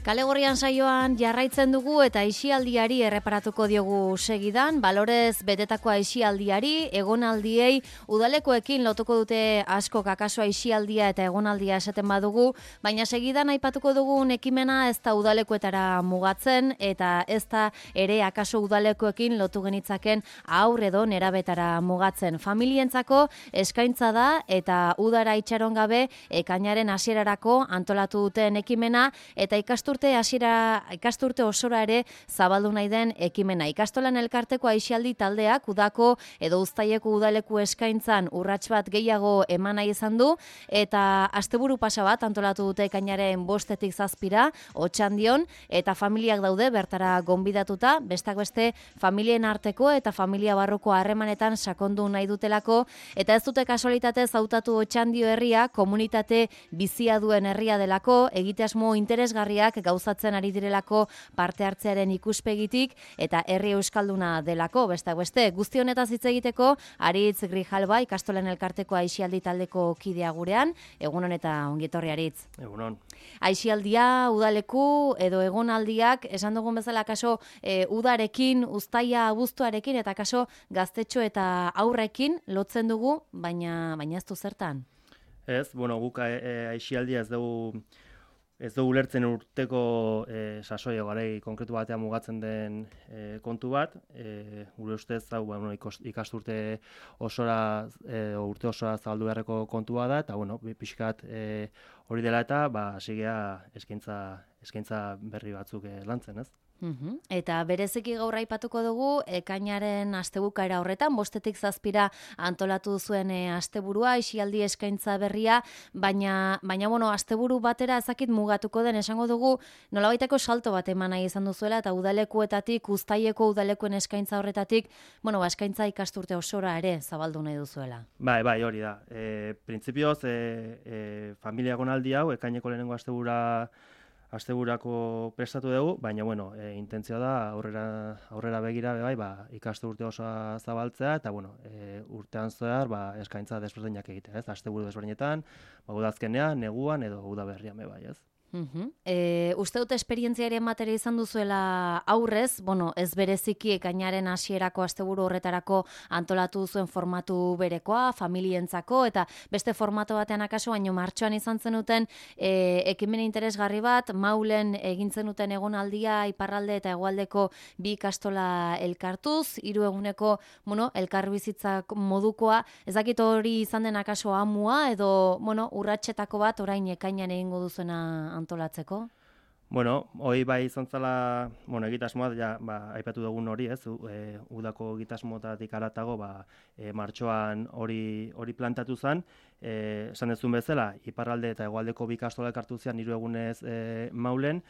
Kale Gorrian saioan jarraitzen dugu eta aisialdiari erreparatuko diogu segidan, balorez betetako aisialdiari, egonaldiei udalekoekin lotuko dute asko akaso aisialdia eta egonaldia esaten badugu, baina segidan aipatuko dugun ekimena ez da udalekoetara mugatzen eta ez da ere akaso udalekoekin lotu genitzaken haur edo nerabetara mugatzen. Familientzako eskaintza da eta udara itxaron gabe ekainaren hasierarako antolatu duten ekimena eta ikasturte osora ere zabaldu nahi den ekimena. Ikastolan elkarteko aisialdi taldeak udako edo uztaileko udaleku eskaintzan urrats bat gehiago eman nahi izan du eta asteburu pasa bat antolatu dute ekainaren 5-tik 7 Otxandion eta familiak daude bertara gonbidatuta, bestak beste familien arteko eta familia barruko harremanetan sakondu nahi dutelako eta ez dute kasualitatez hautatu Otxandio herria komunitate bizia duen herria delako, egitasmo interesgarriak gauzatzen ari direlako parte hartzearen ikuspegitik eta herri euskalduna delako, bestak beste. Guzti honetaz hitz egiteko Aritz Grijalba ikastolen elkarteko aisialdi taldeko kidea gurean, egunon eta ongietorri Aritz. Egunon. Aisialdia, udaleku edo egonaldiak, esan dugun bezala kaso udarekin, uztaia abuztuarekin eta kaso gaztetxo eta aurrekin lotzen dugu, baina ez du zertan. Ez, guk aisialdia ez dugu ulertzen urteko sasoi garai konkretu batean mugatzen den kontu bat. Gure ustez hau ikasturte osora urte osora zabaldu beharreko kontua da eta pixkat hori dela eta hasigea eskaintza berri batzuk lantzen, ez? Eta bereziki gaur aipatuko dugu ekainaren astebukaera horretan 5-tik 7 antolatu zuen asteburua aisialdi eskaintza berria, baina asteburu batera ezakit mugatuko den esango dugu nolabaiteko salto bat eman nahi izan duzuela eta udalekuetatik uztaileko udalekoen eskaintza horretatik eskaintza ikasturte osora ere zabaldu nahi duzuela. Bai, hori da. Printzipioz familia egonaldi hau ekaineko lehenengo asteburako prestatu dugu, baina intentzioa da aurrera begira ikasturte osoa zabaltzea eta urtean zehar eskaintza desberdinak egitea, ez? Asteburu desberdinetan, udazkenean, neguan edo udaberrian bai, ez? Uste dut esperientzia ere ematere izan duzuela aurrez, ez bereziki ekainaren hasierako asteburu horretarako antolatu zuen formatu berekoa, familientzako eta beste formato batean akaso, baino martxoan izan zenuten ekimen interesgarri bat, Maulen egin zenuten egonaldia iparralde eta hegoaldeko bi ikastola elkartuz, 3 eguneko elkarbizitzak modukoa, ez dakit hori izan den akaso amua edo urratsetako bat orain ekainan egingo duzuena antolatzeko? Hoi bai izan zela, egitasmoa, aipatu dugun hori, ez? Udako egitasmotatik haratago, martxoan hori plantatu zen, esan dezun bezala, iparralde eta hegoaldeko bi ikastola elkartu zian 3 egunez Maulen,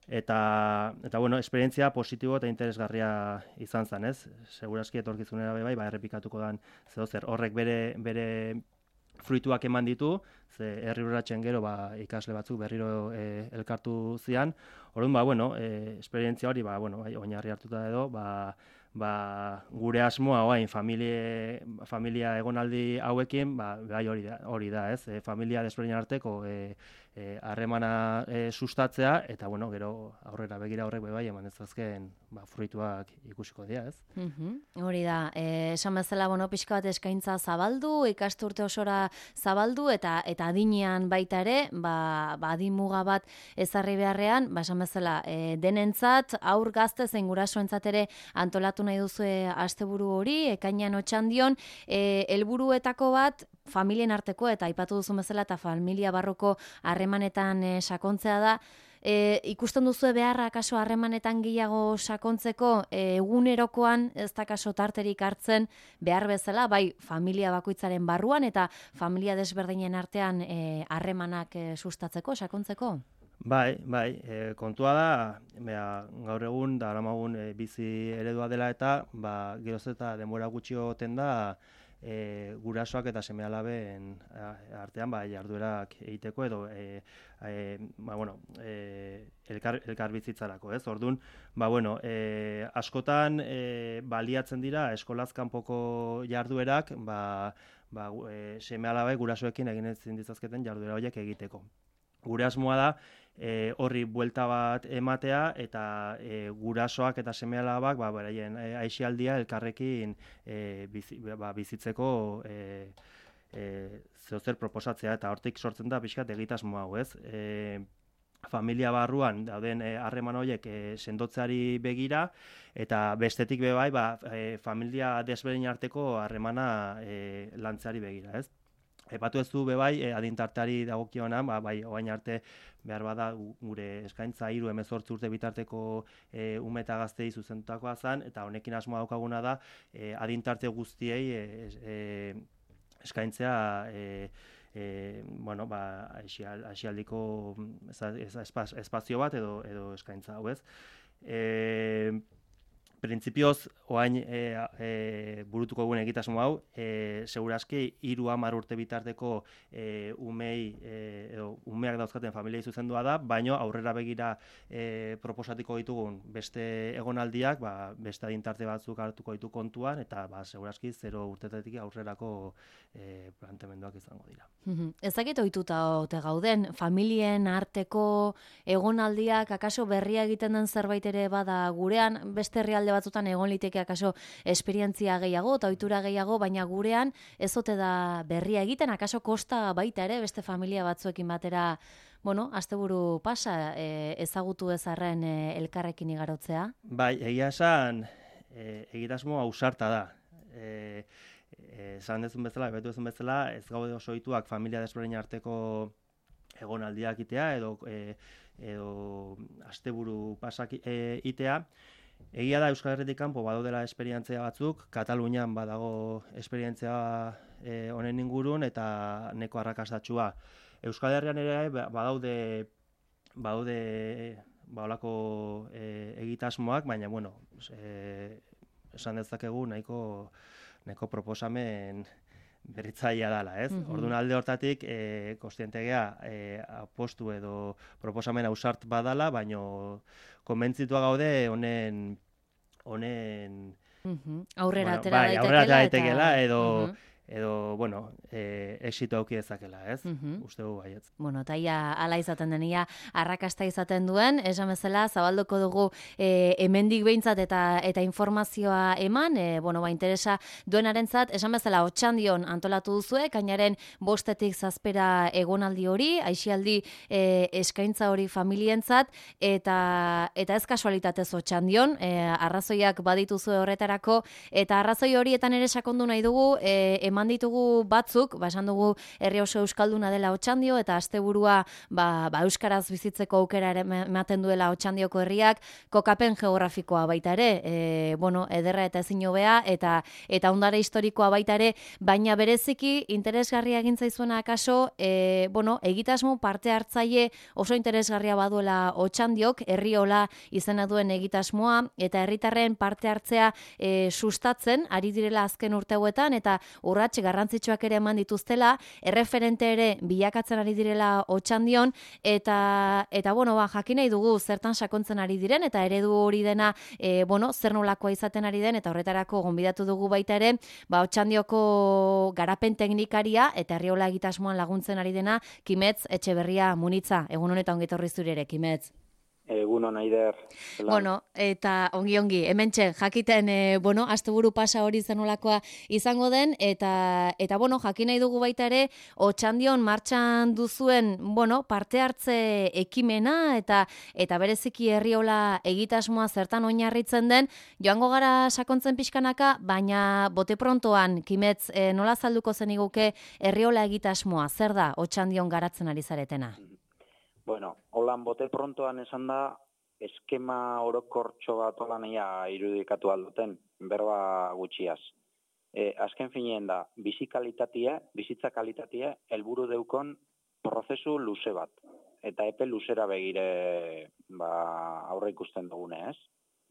eta esperientzia positibo eta interesgarria izan zen, ez? Segurazki etorkizunera errepikatuko den zeozer. Horrek bere fruituak eman ditu, ze herri urratsen gero ikasle batzuk berriro elkartu zian. Orduan, esperientzia hori, oinarri hartuta edo, gure asmoa orain familia egonaldi hauekin, bai hori da, ez? Familia desberdinen arteko harremana sustatzea, eta bueno, gero aurrera begira horrek bai eman ezazken fruituak ikusiko dira, ez? Hori da, esan bezala, pixka bat eskaintza zabaldu, ikasturte osora zabaldu, eta adinean baita ere, adin muga bat ezarri beharrean, esan bezala, denentzat, aur gazte zein gurasoentzat ere antolatu nahi duzu asteburu hori, ekainean Otxandion, helburuetako bat, familien arteko, eta aipatu duzu bezala, eta familia barruko harremanetan sakontzea da. Ikusten duzu beharra kaso harremanetan gehiago sakontzeko, egunerokoan ez da kaso tarterik hartzen behar bezala, bai familia bakoitzaren barruan eta familia desberdinen artean harremanak sustatzeko, sakontzeko? Bai, kontua da, gaur egun, daramagun bizi eredua dela eta, geroz eta denbora gutxi oten da, gurasoak eta seme-alaben artean jarduerak egiteko edo elkar bizitzarako, ez? Orduan, askotan baliatzen dira eskolaz kanpoko jarduerak, seme-alabe gurasoekin egin ezin ditzazketen jarduera horiek egiteko. Gure asmoa da horri buelta bat ematea eta gurasoak eta seme-alabak beraien aisialdia elkarrekin bizitzeko zeozer proposatzea, eta hortik sortzen da pixkat egitasmo hau, ez? Familia barruan dauden harreman horiek sendotzeari begira, eta bestetik bai familia desberdin arteko harremana lantzeari begira, ez? Epatu ez du bai adintarteari dagokionan, orain arte behar bada gure eskaintza 3-18 urte bitarteko ume eta gaztei zuzendutakoa zen, eta honekin asmoa daukaguna da adintarte guztiei eskaintzea aisialdiko espazio bat edo eskaintza hau, ez? Printzipioz, oain burutuko egun egitasmo hau, seguraski 3-10 urte bitarteko umeak dauzkaten familiei zuzendua da, baino aurrera begira proposatiko ditugun beste egonaldiak, beste adintarte batzuk hartuko ditu kontuan, eta seguraski 0 urtetetik aurrerako planteamenduak izango dira. Ezakit ohituta ote gauden, familien arteko egonaldiak akaso berria egiten den zerbait ere bada gurean, beste herrialde batzutan egon liteke akaso esperientzia gehiago eta ohitura gehiago, baina gurean ez ote da berria egiten, akaso kosta baita ere beste familia batzuekin batera, asteburu pasa ezagutu ezarren elkarrekin igarotzea? Bai, egia esan egitasmo ausarta da. Esan dezun bezala, ez gaude oso ohituak familia desberdin arteko egonaldiak itea edo asteburu pasak itea. Egia da Euskal Herritik kanpo badaudela esperientzia batzuk, Katalunian badago esperientzia honen ingurun eta neko arrakastatsua. Euskal Herrian ere badaude holako egitasmoak, baina esan dezakegu nahiko proposamen berritzailea dela, ez? Orduan alde hortatik kontzientegea apostu edo proposamen ausart badala, baino konbentzitua gaude honen aurrera atera daitekeela edo exito auki dezakela, ez? Uste dugu baietz. Eta hala izaten denia arrakasta izaten duen, esan bezala zabalduko dugu hemendik behintzat eta informazioa eman, interesa duenarentzat, esan bezala Otxandion antolatu duzue, kainaren 5-tik 7 egonaldi hori, aisialdi eskaintza hori familientzat, eta ez kasualitatez Otxandion, arrazoiak badituzue horretarako, eta arrazoi horietan ere sakondu nahi dugu, eman ditugu batzuk, esan dugu herri oso euskalduna dela Otxandio, eta asteburua euskaraz bizitzeko aukera ematen duela Otxandioko herriak, kokapen geografikoa baita ere, ederra eta ezin hobea, eta ondare historikoa baita ere, baina bereziki interesgarria egin zaizuena akaso, egitasmo parte hartzaile oso interesgarria baduela Otxandiok, herri hola izena duen egitasmoa, eta herritarren parte hartzea sustatzen, ari direla azken urte hauetan, eta urrats garrantzitsuak ere eman dituztela, erreferente ere bilakatzen ari direla Otxandion, eta bueno, jakin nahi dugu zertan sakontzen ari diren, eta eredu hori dena, zer nolakoa izaten ari den, eta horretarako gonbidatu dugu baita ere, Otxandioko garapen teknikaria, eta Arriola egitasmoan laguntzen ari dena, Kimetz Etxeberria Munitza. Egun honetan ongi etorri zuri ere, Kimetz. Egun hona, Aider. Bueno, eta ongi, hementxe, jakiten, asteburu pasa hori zenolakoa izango den, eta jakin nahi dugu baita ere, Otxandion martxan duzuen, parte hartze ekimena, eta bereziki Herriola egitasmoa zertan oinarritzen den, joango gara sakontzen pixkanaka, baina bote prontoan, Kimetz, nola zalduko zeniguke Herriola egitasmoa, zer da Otxandion garatzen ari zaretena? Bueno, holan bote prontoan esan da, eskema orokortxo bat holan irudikatu alduten, berba gutxiaz. Azken finean da, bizitza kalitatea, helburu deukon prozesu luze bat. Eta epe luzera begire aurre ikusten dugune, ez?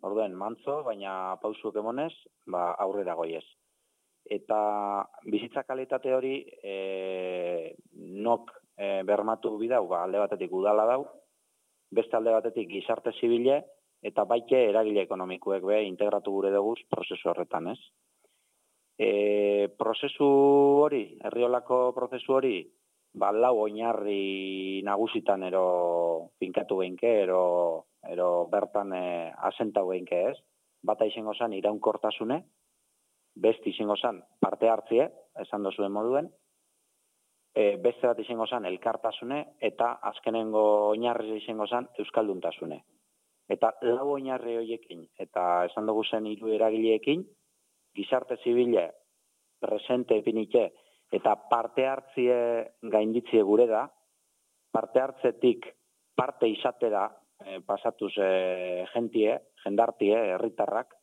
Orduen, mantzo, baina pausuek emonez, aurrera goiez. Eta bizitza kalitate hori nok bermatu bidau, alde batetik udala dau, beste alde batetik gizarte zibile, eta baite eragile ekonomikuek integratu gure dugu prozesu horretan, ez? Prozesu hori, Herriolako prozesu hori, lau oinarri nagusitan finkatu geinke, bertan asentau geinke, ez? Bata izango zan iraunkortasune, beste izango zan parte hartzie, esan dozuen moduen, beste bat izango zan elkartasune, eta azkenengo oinarri izango zan euskalduntasune. Eta lau oinarri horiekin, eta esan dugu zen hiru eragileekin, gizarte zibile, presente epinike, eta parte hartzie gainditzie gure da, parte hartzetik parte izatera pasatuz jendartie, herritarrak,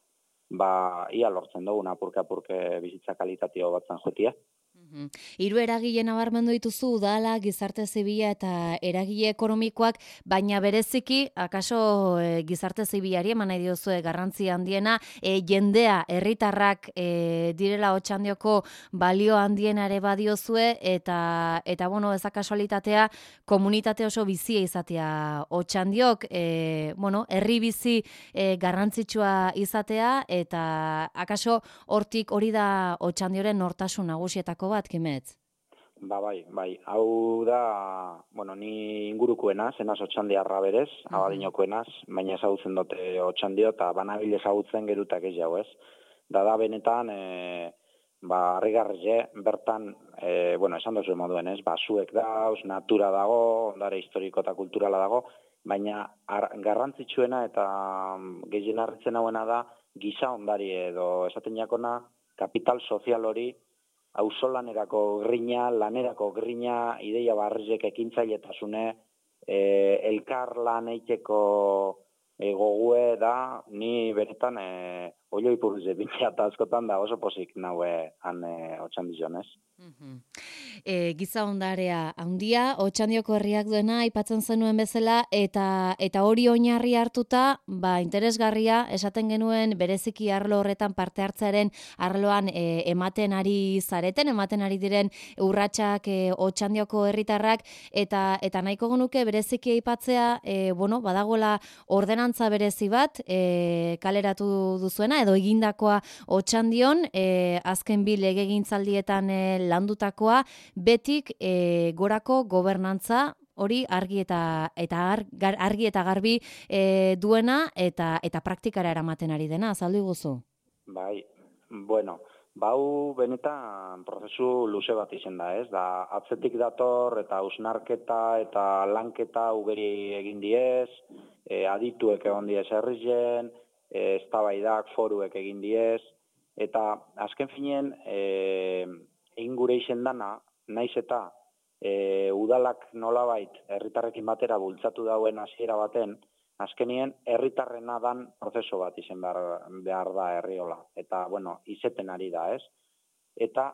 ia lortzen dugu apurke bizitza kalitatea batzen jotie. Hiru eragile nabarmendu dituzu, udala, gizarte zibila eta eragile ekonomikoak, baina bereziki, akaso gizarte zibilari eman nahi diozue garrantzi handiena, jendea, herritarrak direla Otxandioko balio handiena ere badiozue, eta ez da kasualitatea, komunitate oso bizia izatea Otxandiok, herri bizi garrantzitsua izatea, eta akaso hortik hori da Otxandioren nortasun nagusietako bat, Kimetz? Bai. Hau da, ni ingurukoena, zenaz Otxandiarra berez, abadinokoenaz, baina ezagutzen dute Otxandio, eta banabil ezagutzen gerutak ez jau, ez? Da benetan, harrigarrie, bertan, esan dozu moduen, ez? Zuek dauz, natura dago, ondare historiko eta kulturala dago, baina garrantzitsuena eta gehien harritzen hauena da, giza ondari edo esaten jakona, kapital sozial hori, auzolanerako grina, lanerako grina, ideia barrizek ekintzailetasune, elkar lan eiteko gogue da, ni beretan oio ipurrize bintzea eta askotan da oso pozik naue han Otxandion, ez? Giza ondarea handia, Otxandioko herriak duena aipatzen zenuen bezala, eta hori oinarri hartuta, interesgarria, esaten genuen bereziki arlo horretan parte hartzearen arloan ematen ari zareten, ematen ari diren urratsak Otxandioko herritarrak, eta nahiko genuke bereziki aipatzea, badagoela ordenantza berezi bat, kaleratu duzuena, edo egindakoa Otxandion, azken bi legegintzaldietan landutakoa, betik gorako gobernantza hori argi eta garbi duena eta praktikara eramaten ari dena, azaldu iguzu? Bai, bau benetan prozesu luze bat izen da, ez? Da, atzetik dator eta hausnarketa eta lanketa ugeri egin diez, adituek egon diez herrizen, eztabaidak foruek egin diez, eta azken finean egin gure izen dana, naiz eta udalak nolabait herritarrekin batera bultzatu dauen hasiera baten, azkenien herritarrena dan prozesu bat izen behar da Herriola. Eta, izeten ari da, ez? Eta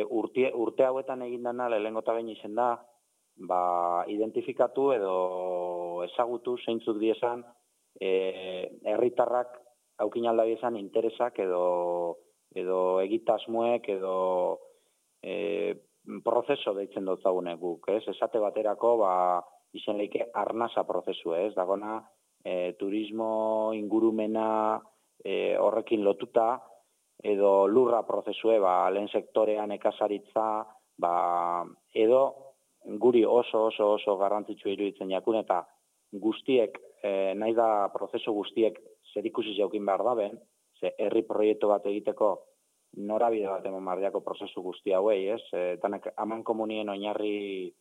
urte hauetan egin dena lehenengo eta behin izen da, identifikatu edo ezagutu zeintzuk diezan herritarrak aukin alda diezan interesak edo edo egitasmoek, edo prozeso deitzen dutzagunek guk, ez? Esate baterako, izen leike arnasa prozesu, ez? Dagona, turismo ingurumena horrekin lotuta, edo lurra prozesue, lehen sektorean ekasaritza, edo guri oso garrantzitsu iruditzen jakun, eta guztiek, nahi da prozesu guztiek zerikusi jaukin behar da ben, ze herri proiektu bat egiteko norabide bat eman bardiako prozesu guzti hauei, ez? Danak aman komunien oinarri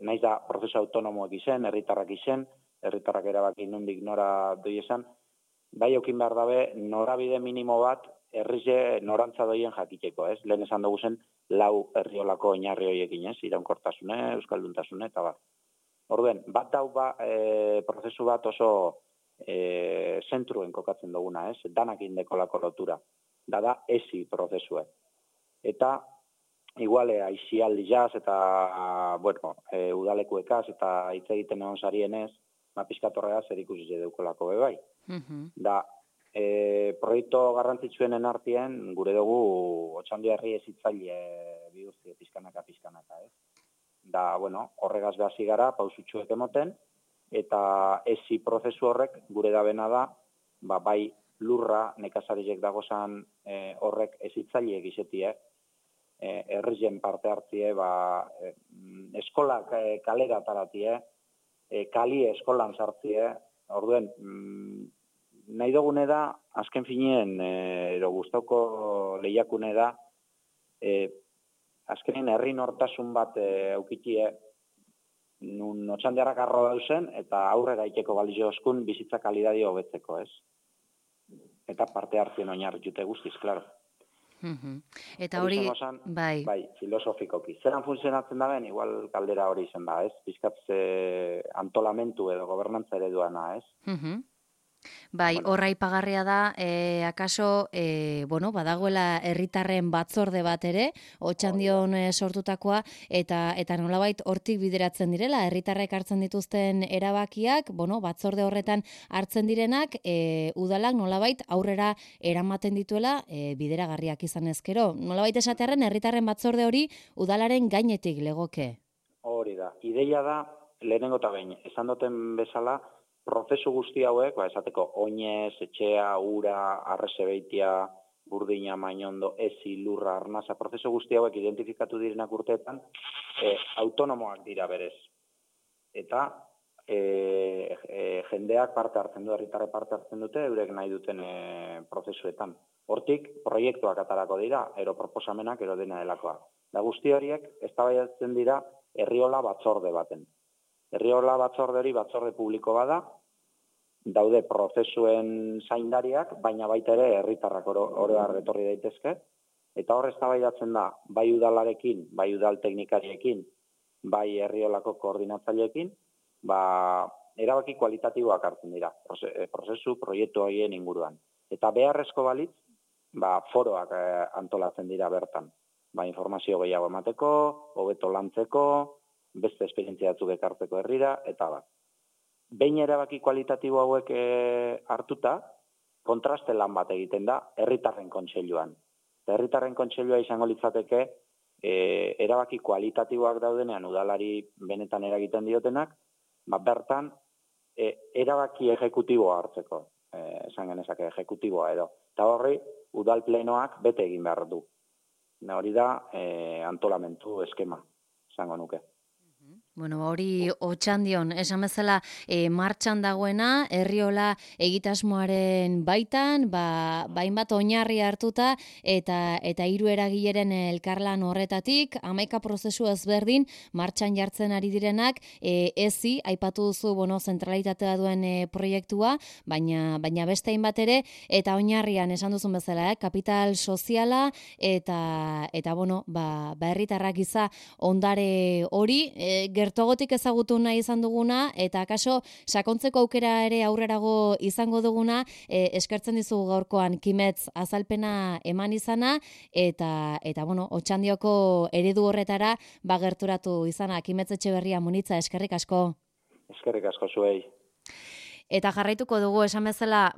nahiz da prozesu autonomoak izen, herritarrak erabaki nondik nora doi esan, bai eukin behar dabe norabide minimo bat herrize norantza doien jakiteko, ez? Lehen esan dugu zen, 4 herriolako oinarri horiekin, ez? Iraunkortasune, euskalduntasune, eta bat. Orduen, bat dau prozesu bat oso zentruen kokatzen duguna, ez? Danak indekolako lotura. Da esi prozesue. Eta, iguale, aixialdi jaz, eta, udalekuekaz, eta hitz egiten egon sarienez, pizkatorrea zer ikusi deukolako bebai. Da, proiektu garrantzitsuenen artien, gure dugu, Otxandiarri ezitzaile bihurtzi pizkanaka, ez? Da, horregaz behasi gara, pausutxuek emoten, eta esi prozesu horrek gure dabena da, bai lurra nekazarizek dagozan horrek ezitzaileek izetie, herrien parte hartie, eskolak kalera taratie, kali eskolan sartie, orduen, nahi dugune da, azken finien, edo guztoko lehiakune da, azkenin herri nortasun bat eukitie, nun Otxandiarrak arro dauzen, eta aurrera ikeko balizio oskun bizitza kalidadio hobetzeko, ez? Eta parte hartzen oinarri jute guztiz, klaro. Eta hori, bai, filosofikoki. Zeran funtzionatzen da ben, igual kaldera hori izen da, ez? Bizkatze antolamentu edo gobernantza ereduana, ez? Bai, horra ipagarria da, akaso, badagoela herritarren batzorde bat ere, Otxandion sortutakoa, eta nolabait hortik bideratzen direla, herritarrek hartzen dituzten erabakiak, batzorde horretan hartzen direnak, udalak nolabait aurrera eramaten dituela bideragarriak izan ezkero. Nolabait esatearren, herritarren batzorde hori udalaren gainetik legoke. Hori da, ideia da, lehenengo eta behin, esan duten bezala, prozesu guzti hauek, esateko oinez, etxea, ura, arrezebeitia, burdina, mainondo, ezi, lurra, arnasa, prozesu guzti hauek identifikatu direnak urteetan, autonomoak dira berez. Eta jendeak parte hartzen du, herritarre parte hartzen dute, eurek nahi duten prozesuetan. Hortik, proiektuak atarako dira, ero proposamenak, ero dena delakoa. Da guzti horiek, eztabaidatzen dira, herriola batzorde baten. Herriola batzorde hori batzorde publiko bada, daude prozesuen zaindariak, baina baita ere herritarrak oroar etorri daitezke, eta hor eztabaidatzen da, bai udalarekin, bai udal teknikariekin, bai herriolako koordinatzaileekin, erabaki kualitatiboak hartzen dira, prozesu, proiektu horien inguruan. Eta beharrezko balitz, foroak antolatzen dira bertan. Informazio gehiago emateko, hobeto lantzeko, beste esperientzia batzuk ekartzeko herrira, eta bat. Behin erabaki kualitatibo hauek hartuta, kontraste lan bat egiten da herritarren kontseiluan. Herritarren kontseilua izango litzateke erabaki kualitatiboak daudenean udalari benetan eragiten diotenak, bertan erabaki ejekutiboa hartzeko, esan genezake ejekutiboa edo. Eta horri, udal plenoak bete egin behar du. Hori da antolamentu eskema, esango nuke. Hori Otxandion, esan bezala martxan dagoena, herriola egitasmoaren baitan, hainbat oinarri hartuta, eta 3 eragileren elkarlan horretatik, 11 prozesu ezberdin martxan jartzen ari direnak, ezi, aipatu duzu, zentralitatea duen proiektua, baina beste hainbat ere, eta oinarrian, esan duzun bezala, kapital soziala, eta herritarrak iza ondare hori, gertogotik ezagutu nahi izan duguna, eta akaso sakontzeko aukera ere aurrerago izango duguna, eskertzen dizugu gaurkoan Kimetz azalpena eman izana, eta Otxandioko eredu horretara gerturatu izana. Kimetz Etxeberria Munitza, eskerrik asko. Eskerrik asko zuei. Eta jarraituko dugu esan bezala,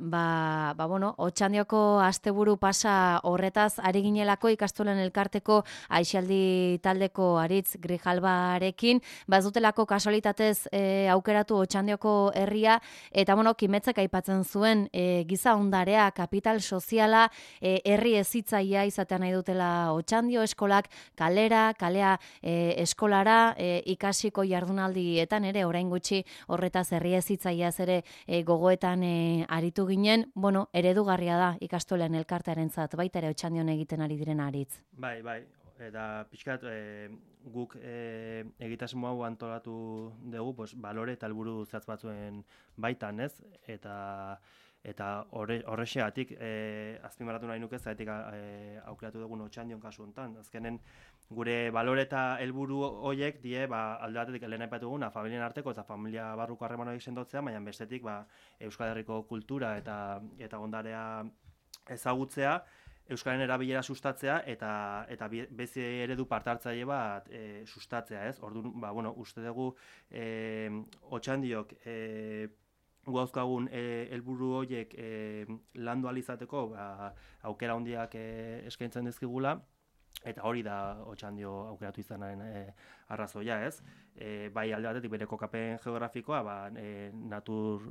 Otxandioko asteburu pasa horretaz ari ginelako ikastolen elkarteko aisialdi taldeko Aritz Grijalbarekin, ez dutelako kasualitatez aukeratu Otxandioko herria, eta Kimetzek aipatzen zuen giza ondarea, kapital soziala, herri hezitzailea izatea nahi dutela Otxandio, eskolak kalea eskolara, ikasiko jardunaldietan ere orain gutxi horretaz herri hezitzaileaz ere gogoetan aritu ginen, eredugarria da ikastolen elkartearentzat, baita ere Otxandion egiten ari diren Aritz. Bai, eta pixkat guk egitasmo hau antolatu dugu, balore eta helburu zehatz batzuen baitan, ez? Eta horrexegatik azpimarratu nahi nuke zaitik aukeratu dugun Otxandion kasu honetan. Azkenen gure balore eta helburu horiek die alde batetik lehen aipatu duguna familien arteko eta familia barruko harremanak sendotzea, baina bestetik Euskal Herriko kultura eta ondarea ezagutzea, Euskararen erabilera sustatzea eta bezi eredu parte-hartzaile bat sustatzea, ez? Orduan, uste dugu Otxandiok gauzkagun helburu horiek landu ahal izateko aukera handiak eskaintzen dizkigula, eta hori da Otxandio aukeratu izanaren arrazoia, ez? Bai alde batetik bere kokapen geografikoa natur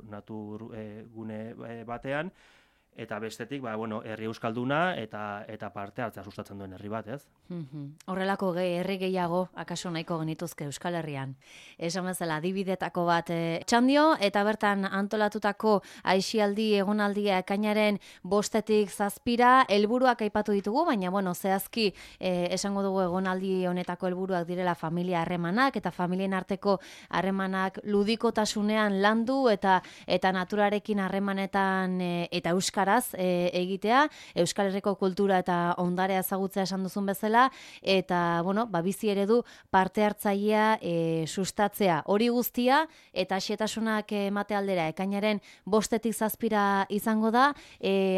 gune batean, eta bestetik, herri euskalduna eta parte hartzea sustatzen duen herri bat, ez? Horrelako herri gehiago, akaso nahiko genituzke Euskal Herrian. Esan bezala, adibidetako bat Otxandio, eta bertan antolatutako aisialdi egonaldia ekainaren 5-tik 7, helburuak aipatu ditugu, baina, zehazki esango dugu egonaldi honetako helburuak direla familia harremanak, eta familien arteko harremanak ludikotasunean landu, eta naturarekin harremanetan eta euskaraz egitea, Euskal Herriko kultura eta ondarea ezagutzea esan duzun bezala, eta, bizi eredu parte hartzailea sustatzea. Hori guztia, eta xetasunak emate aldera, ekainaren 5-tik 7 izango da,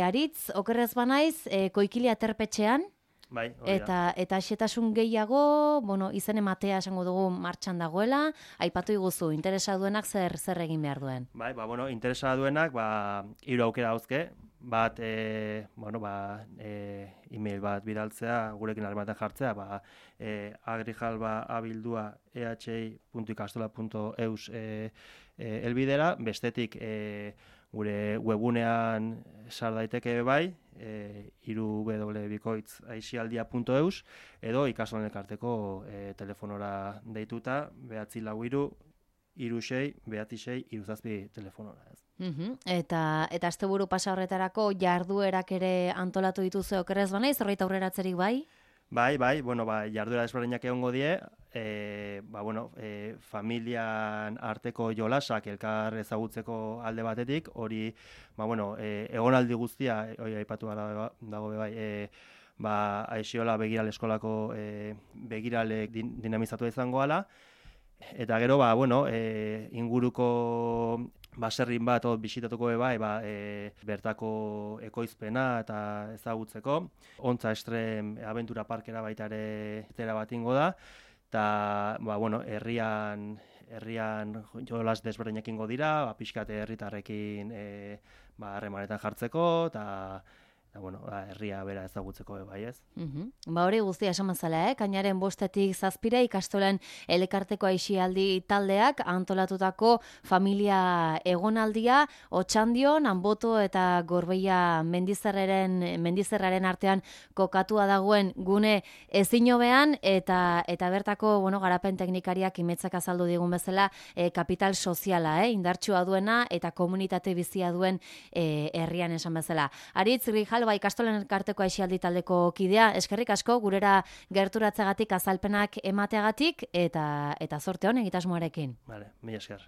Aritz, okerrez banaiz, Koikilia Terpetxean, Bai, eta xetasun gehiago, izen ematea esango dugu martxan dagoela, aipatu iguzu, interesa duenak zer egin behar duen? Bai, interesa duenak, 3 aukera dauzke, bat, email bat bidaltzea, gurekin harremanetan jartzea, agrijalba@ehi.ikastola.eus helbidera, bestetik gure webunean sar daiteke bai, www.aisialdia.eus, edo ikastolen elkarteko telefonora deituta, 944-36-96-37 telefonora, ez. Eta asteburu pasa horretarako jarduerak ere antolatu dituzu okerrez banaiz, horreita aurreratzerik bai? Bai, jarduera desberdinak egongo die, familian arteko jolasak elkar ezagutzeko alde batetik, hori, egonaldi guztia, hori aipatu dago bai, Aixiola Begirale Eskolako begiralek dinamizatu izango ala, eta gero, inguruko baserrin bat bisitatuko bai, bertako ekoizpena eta ezagutzeko. Ontza Estrem Abentura Parkera baita ere zera bat ingo da, eta herrian jolas desberdinak ingo dira, pixkate herritarrekin harremanetan jartzeko, eta herria bera ezagutzeko bai, ez? Hori guztia esan bezala, kainaren 5-tik 7 ikastolen elkarteko aisialdi taldeak antolatutako familia egonaldia Otxandion, Anboto eta Gorbeia mendizerraren artean kokatua dagoen gune ezinobean, eta bertako garapen teknikariak Kimetzek azaldu digun bezala kapital soziala, indartsua duena eta komunitate bizia duen herrian esan bezala. Aritz Grijalba ikastolen elkarteko aisialdi taldeko kidea, eskerrik asko gurera gerturatzegatik azalpenak emateagatik, eta zorte on egitasmoarekin. Vale, mila esker.